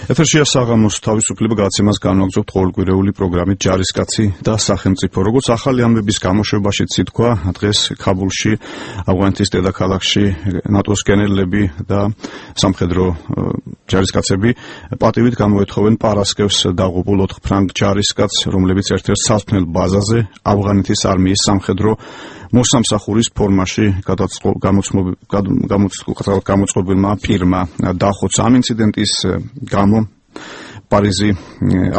ეთერშია საღამოს თავისუფლება გადაცემას განვაგრძობთ ყოველკვირეული პროგრამით ჯარისკაცი და სახელმწიფო. როგორც ახალი ამბების გამოშვებაშიც ითქვა, დღეს ქაბულში, ავღანეთის დედაქალაქში ნატოს გენერლები და სამხედრო ჯარისკაცები პატივით გამოეთხოვენ პარასკევს დაღუპულ 4 ფრანგ ჯარისკაცს, რომლებიც ერთ-ერთ სარწმუნოებელ ბაზაზე ავღანეთის არმიის სამხედრო მოსამსახურის ფორმაში გამოწყობილმა პირმა დახოცა. ამ ინციდენტის გამო პარიზი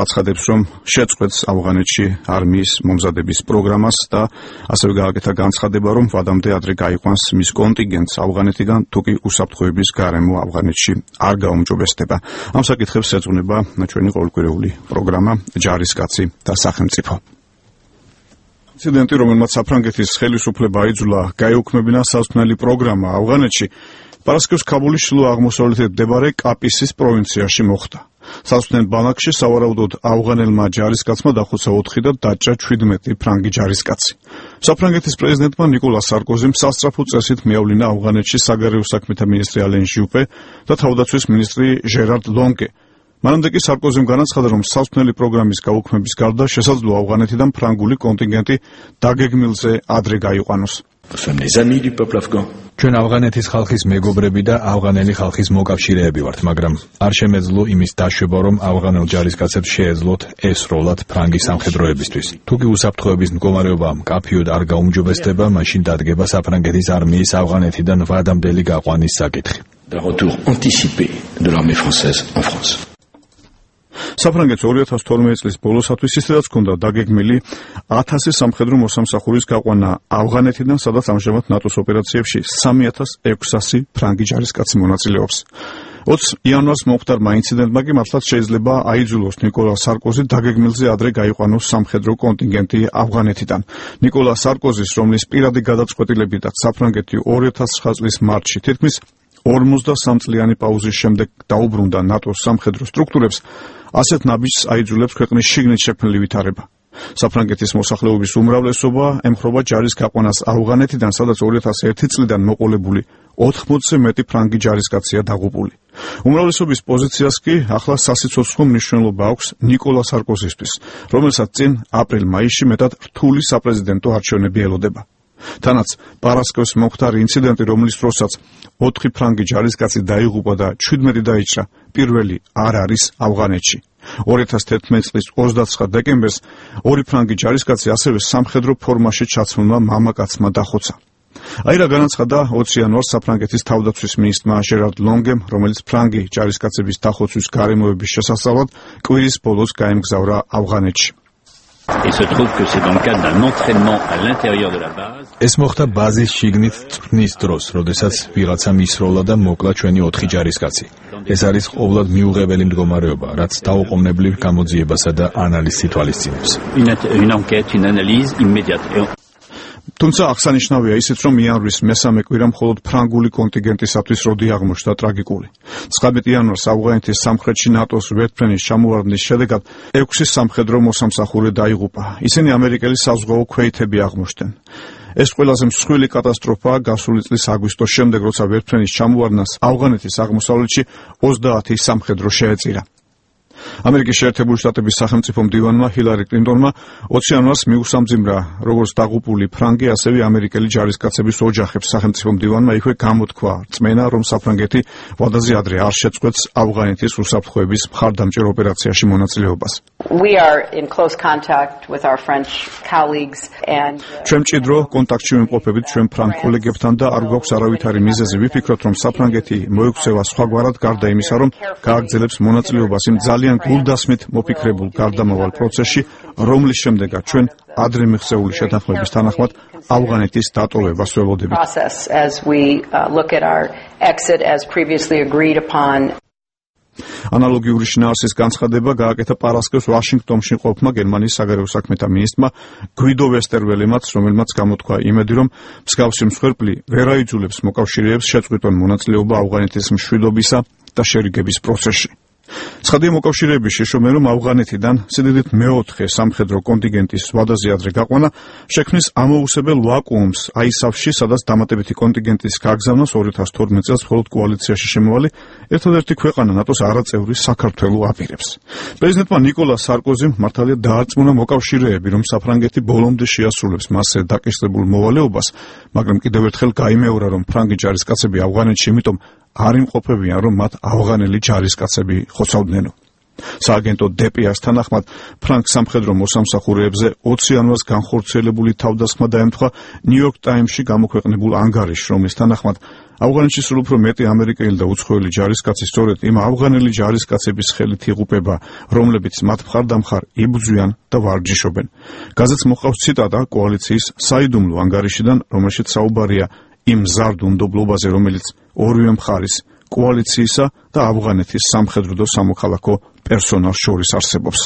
აცხადებს, რომ შეწყვეტს ავღანეთში არმიის მომზადების პროგრამას და ასევე გააკეთა განცხადება, რომ ვადამდე ადრე გაიყვანს მის კონტინგენტს ავღანეთიდან, თუკი უსაფრთხოების გარემო ავღანეთში არ გაუმჯობესდება. ამ საკითხებს ეძღვნება ჩვენი ყოველკვირეული პროგრამა ჯარისკაცი და სახელმწიფო. ინციდენტი, რომელმაც საფრანგეთის ხელისუფლება აიძულა გაეუქმებინა სასწავლელი პროგრამა ავღანეთში, პარასკევს ქაბულის ჩრდილო აღმოსავლეთით მდებარე კაპისის პროვინციაში მოხდა. სასწავლელ ბანაკში სავარაუდოდ ავღანელმა ჯარისკაცმა დახოცა 4 და დაჭრა 17 ფრანგი ჯარისკაცი. საფრანგეთის პრეზიდენტმა ნიკოლა სარკოზიმ სასწრაფო წესით მიავლინა ავღანეთში საგარეო საქმეთა მინისტრი ალენ ჟიუპე და თავდაცვის მინისტრი ჟერარ ლონგე. მანამდე კი სარკოზიმ განაცხადა, რომ სასწავლელი პროგრამის გაუქმების გარდა შესაძლოა ავღანეთიდან ფრანგული კონტინგენტი დაგეგმილზე ადრე გაიყვანოს. ჩვენ ავღანეთის ხალხის მეგობრები და ავღანელი ხალხის მოკავშირეები ვართ, მაგრამ არ შემეძლო იმის დაშვება, რომ ავღანელ ჯარისკაცებს შეეძლოთ ესროლათ ფრანგი სამხედროებისთვის. თუკი უსაფრთხოების მდგომარეობა მკაფიოდ არ გაუმჯობესდება, მაშინ დადგება საფრანგეთის არმიის ავღანეთიდან ვადამდელი გაყვანის საკითხი. საფრანგეთს 2012 წლის ბოლოსათვის ისედაც ჰქონდა დაგეგმილი 1000 სამხედრო მოსამსახურის გაყვანა ავღანეთიდან, სადაც ამჟამად ნატოს ოპერაციებში 3600 ფრანგი ჯარისკაცი მონაწილეობს. 20 იანვარს მომხდარმა ინციდენტმა კი მართლაც შეიძლება აიძულოს ნიკოლა სარკოზი დაგეგმილზე ადრე გაიყვანოს სამხედრო კონტინგენტი ავღანეთიდან. ნიკოლა სარკოზის, რომლის პირადი გადაწყვეტილებითაც საფრანგეთი 2009 წლის მარტში თითქმის 53 წლიანი პაუზის შემდეგ დაუბრუნდა ნატოს სამხედრო სტრუქტურებს, ასეთ ნაბიჯს აიძულებს ქვეყნის შიგნით შექმნილი ვითარება. საფრანგეთის მოსახლეობის უმრავლესობა ემხრობა ჯარის გაყვანას ავღანეთიდან, სადაც 2001 წლიდან მოყოლებული 80-ზე მეტი ფრანგი ჯარისკაცია დაღუპული. უმრავლესობის პოზიციას კი ახლა სასიცოცხლო მნიშვნელობა აქვს ნიკოლა სარკოზისთვის, რომელსაც წინ აპრილ-მაისში მეტად რთული საპრეზიდენტო არჩევნები ელოდება. თანაც პარასკევს მომხდარი ინციდენტი, რომლის დროსაც 4 ფრანგი ჯარისკაცი დაიღუპა და 17 დაიჭრა, პირველი არ არის ავღანეთში. 2011 წლის 29 დეკემბერს 2 ფრანგი ჯარისკაცი ასევე სამხედრო ფორმაში ჩაცმულმა მამაკაცმა დახოცა. აი რა განაცხადა 20 იანვარს საფრანგეთის თავდაცვის მინისტრმა ჟერარ ლონგემ, რომელიც ფრანგი ჯარისკაცების დახოცვის გარემოების შესასწავლად კვირის ბოლოს გაემგზავრა ავღანეთში. ეს მოხდა ბაზის შიგნით წვრთნის დროს, როდესაც ვიღაცა მისროლა და მოკლა ჩვენი 4 ჯარისკაცი. ეს არის ყოვლად მიუღებელი მდგომარეობა, რაც დაუყოვნებლივ გამოძიებასა და ანალიზს ითვალისწინებს. თუმცა აღსანიშნავია ისიც, რომ იანვრის მესამე კვირა მხოლოდ ფრანგული კონტინგენტისათვის როდი აღმოჩნდა ტრაგიკული. 19 იანვარს ავღანეთის სამხრეთში ნატოს ვერტმფრენის ჩამოვარდნის შედეგად 6 სამხედრო მოსამსახური დაიღუპა. ისინი ამერიკელი საზღვაო ქვეითები აღმოჩნდნენ. ეს ყველაზე მსხვილი კატასტროფაა გასული წლის აგვისტოს შემდეგ, როცა ვერტმფრენის ჩამოვარდნას ავღანეთის აღმოსავლეთში 30 სამხედრო შეეწირა. ამერიკის შეერთებული შტატების სახელმწიფო მდივანმა ჰილარი კლინტონმა 20 იანვარს მიუსამძიმრა როგორც დაღუპული ფრანგი, ასევე ამერიკელი ჯარისკაცების ოჯახებს. სახელმწიფო მდივანმა იქვე გამოთქვა რწმენა, რომ საფრანგეთი ვადაზე ადრე არ შეწყვეტს ავღანეთის უსაფრთხოების მხარდამჭერ ოპერაციაში მონაწილეობას. ჩვენ მჭიდრო კონტაქტში ვიმყოფებით ჩვენ ფრანგ კოლეგებთან და არ გვაქვს არავითარი მიზეზი ვიფიქროთ, რომ საფრანგეთი მოექცევა სხვაგვარად, გარდა იმისა, რომ გააგრძელებს მონაწილეობას იმ ძალიან გულდასმით მოფიქრებულ გარდამავალ პროცესში, რომლის შემდეგაც ჩვენ ადრე მიღწეული შეთანხმების თანახმად ავღანეთის დატოვებას ველოდებით. ანალოგიური შინაარსის განცხადება გააკეთა პარასკევს ვაშინგტონში ყოფმა გერმანიის საგარეო საქმეთა მინისტრმა გვიდო ვესტერველემაც, რომელმაც გამოთქვა იმედი, რომ მსგავსი მსხვერპლი ვერ აიძულებს მოკავშირეებს შეწყვიტონ მონაწილეობა ავღანეთის მშვიდობისა და შერიგების პროცესში. ცხადია მოკავშირეების შეშობენ, რომ ავღანეთიდან სიდიდით მეოთხე სამხედრო კონტინგენტის ვადაზე ადრე გაყვანა შექმნის ამოუსებელ ვაკუუმს აისავში, სადაც დამატებითი კონტინგენტის გაგზავნას 2012 წელს მხოლოდ კოალიციაში შემოვალი ერთადერთი ქვეყანა ნატოს არაწევრი საქართველო აპირებს. პრეზიდენტმა ნიკოლას სარკოზიმ მართალია დაარწმუნა მოკავშირეები, რომ საფრანგეთი ბოლომდე შეასრულებს მასზე დაკისრებულ მოვალეობას, მაგრამ კიდევ ერთხელ გაიმეორა, რომ ფრანგი ჯარისკაცები ავღანეთში იმიტომ არ იმყოფებიან, რომ მათ ავღანელი ჯარისკაცები ხოცავდნენო. სააგენტო დპ-ს თანახმად ფრანგ სამხედრო მოსამსახურეებზე 20 იანვარს განხორციელებული თავდასხმა დაემთხვა ნიუ-იორკ ტაიმსში გამოქვეყნებულ ანგარიშს, რომლის თანახმად ავღანეთში სულ უფრო მეტი ამერიკელი და უცხოელი ჯარისკაცი სწორედ იმ ავღანელი ჯარისკაცების ხელით იღუპება, რომლებიც მათ მხარდამხარ იბრძვიან და ვარჯიშობენ. გაზეთს მოყავს ციტატა კოალიციის საიდუმლო ანგარიშიდან, რომელშიც საუბარია იმ მზარდ უნდობლობაზე, რომელიც ორივე მხარის კოალიციისა და ავღანეთის სამხედრო და სამოქალაქო პერსონალს შორის არსებობს.